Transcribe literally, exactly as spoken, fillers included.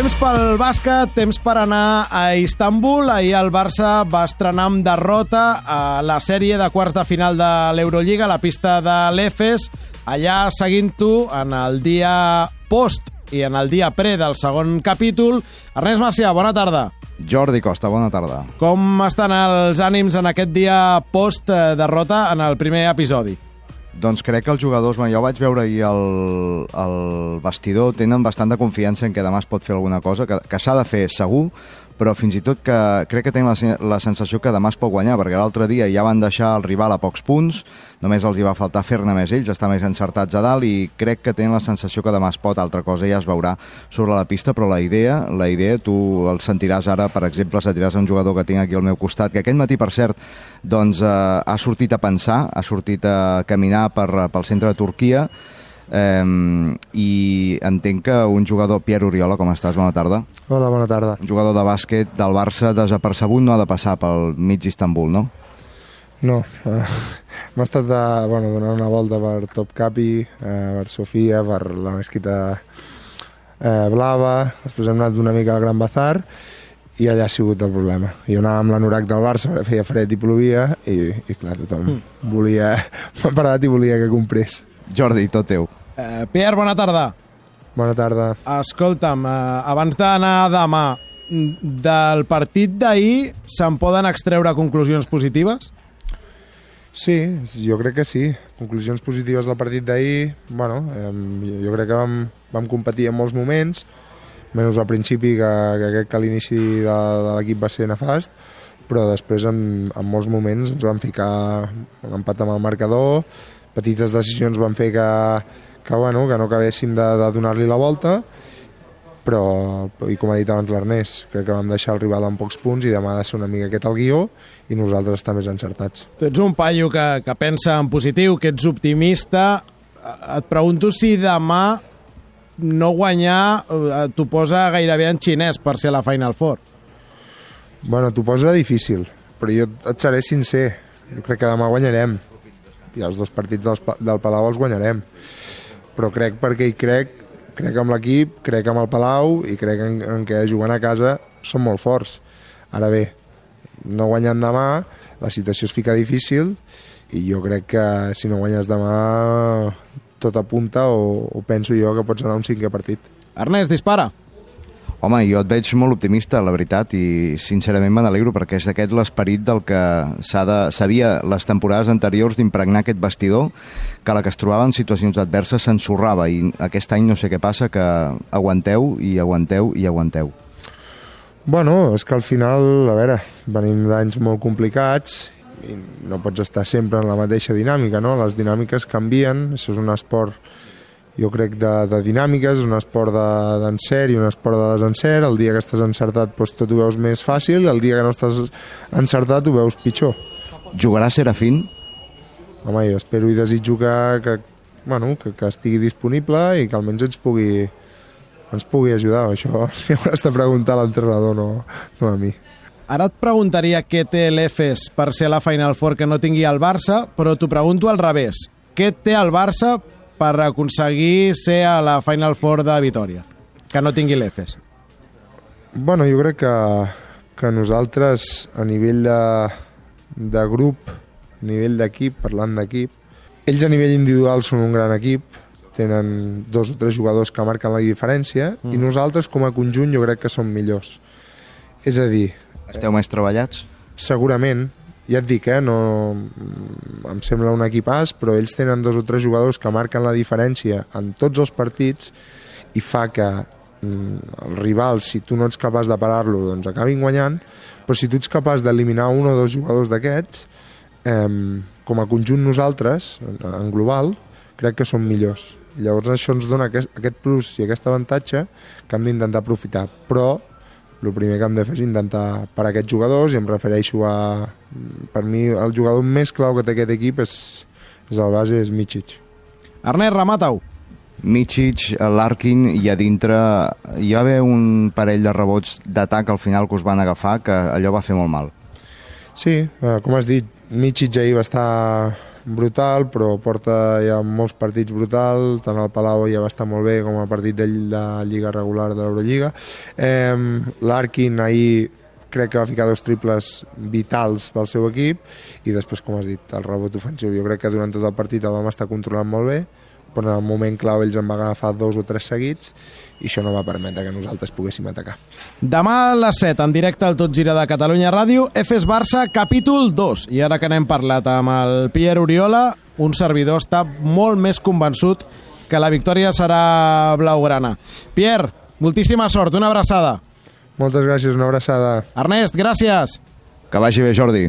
Temps pel bàsquet, temps per anar a Istanbul. Ahir el Barça va estrenar amb derrota a la sèrie de quarts de final de l'Eurolliga a la pista de l'Efes. Allà seguint-ho en el dia post i en el dia pre del segon capítol. Ernest Macià, bona tarda. Jordi Costa, bona tarda. Com estan els ànims en aquest dia post-derrota en el primer episodi? Doncs crec que els jugadors, jo vaig veure ahir el, el vestidor, tenen bastant de confiança en que demà es pot fer alguna cosa, que, que s'ha de fer segur, però fins i tot que crec que tenen la, la sensació que demà es pot guanyar, perquè l'altre dia ja van deixar el rival a pocs punts, només els hi va faltar fer-ne més ells, estar més encertats a dalt, i crec que tenen la sensació que demà es pot, altra cosa ja es veurà sobre la pista, però la idea, la idea tu el sentiràs ara, per exemple, sentiràs un jugador que tinc aquí al meu costat, que aquest matí, per cert, doncs eh, ha sortit a pensar, ha sortit a caminar per, pel centre de Turquia, Um, i entenc que un jugador, Pierre Oriola, com estàs? Bona tarda. Hola, bona tarda. Un jugador de bàsquet del Barça desapercebut no ha de passar pel mig d'Istanbul, no? No, uh, m'ha estat de, bueno, donant una volta per Topkapi, uh, per Sofia, per la mesquita uh, blava, després hem anat una mica al Gran Bazar i allà ha sigut el problema. Jo anava amb l'anorac del Barça, feia fred i plovia i, i clar, tothom mm. volia, m'ha parat i volia que comprés. Jordi, tot teu. Eh, Pierre, bona tarda. Bona tarda. Escolta'm, eh, abans d'anar demà, del partit d'ahir se'n poden extreure conclusions positives? Sí, jo crec que sí. Conclusions positives del partit d'ahir, bueno, eh, jo crec que vam, vam competir en molts moments, menys al principi, que, que crec que l'inici de, de l'equip va ser nefast, però després en, en molts moments ens vam ficar un empat amb el marcador, petites decisions van fer que, que, bueno, que no acabéssim de, de donar-li la volta, però, i com ha dit abans l'Ernest, crec que vam deixar el rival amb pocs punts i demà ha de ser una mica aquest el guió i nosaltres estar més encertats. Tu ets un paio que, que pensa en positiu, que ets optimista. Et pregunto si demà no guanyar t'ho posa gairebé en xinès per ser la Final Four. Bueno, t'ho posa difícil, però jo et seré sincer. Jo crec que demà guanyarem. I els dos partits del, del Palau els guanyarem, però crec perquè hi crec, crec amb l'equip, crec amb el Palau i crec en, en que jugant a casa són molt forts. Ara bé, no guanyant demà, la situació es fica difícil i jo crec que si no guanyes demà tot apunta o, o penso jo que pots anar a un cinquè partit. Ernest, dispara. Home, jo et veig molt optimista, la veritat, i sincerament me n'alegro perquè és d'aquest l'esperit del que s'havia les temporades anteriors d'impregnar aquest vestidor, que a la que es trobava en situacions adverses s'ensorrava, i aquest any no sé què passa, que aguanteu i aguanteu i aguanteu. Bueno, és que al final, a veure, venim d'anys molt complicats i no pots estar sempre en la mateixa dinàmica, no? Les dinàmiques canvien, això és un esport, jo crec, de, de dinàmiques, és un esport d'encert i un esport de desencert. El dia que estàs encertat doncs tot ho veus més fàcil, el dia que no estàs encertat ho veus pitjor. Jugarà Serafín? Home, jo espero i desitjo que, que, bueno, que, que estigui disponible i que almenys ens pugui, ens pugui ajudar. Això li hauràs de preguntar a l'entrenador, no, no a mi. Ara et preguntaria què té l'Efes per ser a la Final Four que no tingui el Barça, però t'ho pregunto al revés. Què té el Barça per aconseguir ser a la Final Four de Vitòria, que no tingui l'Efes? Bueno, jo crec que, que nosaltres, a nivell de, de grup, a nivell d'equip, parlant d'equip, ells a nivell individual són un gran equip, tenen dos o tres jugadors que marquen la diferència, mm. i nosaltres, com a conjunt, jo crec que som millors. És a dir... Esteu més treballats? Segurament. Ja et dic, eh, no, em sembla un equipàs, però ells tenen dos o tres jugadors que marquen la diferència en tots els partits i fa que el rival, si tu no ets capaç de parar-lo, doncs acabin guanyant, però si tu ets capaç d'eliminar un o dos jugadors d'aquests, eh, com a conjunt nosaltres, en global, crec que som millors. Llavors això ens dona aquest, aquest plus i aquest avantatge que hem d'intentar aprofitar, però el primer que hem de fer és intentar parar aquests jugadors, i em refereixo a... Per mi, el jugador més clau que té aquest equip és, és el base, és Micic. Ernest, remata-ho. Micic, l'Arkin, i a dintre hi va haver un parell de rebots d'atac al final que us van agafar, que allò va fer molt mal. Sí, com has dit, Micic ahir va estar brutal, però porta ja molts partits brutal, tant el Palau ja va estar molt bé com el partit de, de Lliga regular de l'Eurolliga. Eh, L'Arkin ahir crec que va ficar dos triples vitals pel seu equip i després, com has dit, el rebot ofensiu. Jo crec que durant tot el partit el vam estar controlant molt bé, però en el moment clau ells en van agafar dos o tres seguits i això no va permetre que nosaltres poguéssim atacar. Demà a les set, en directe al Tot Gira de Catalunya Ràdio, Efes Barça, capítol dos. I ara que n'hem parlat amb el Pierre Oriola, un servidor està molt més convençut que la victòria serà blaugrana. Pierre, moltíssima sort, una abraçada. Moltes gràcies, una abraçada. Ernest, gràcies. Que vagi bé, Jordi.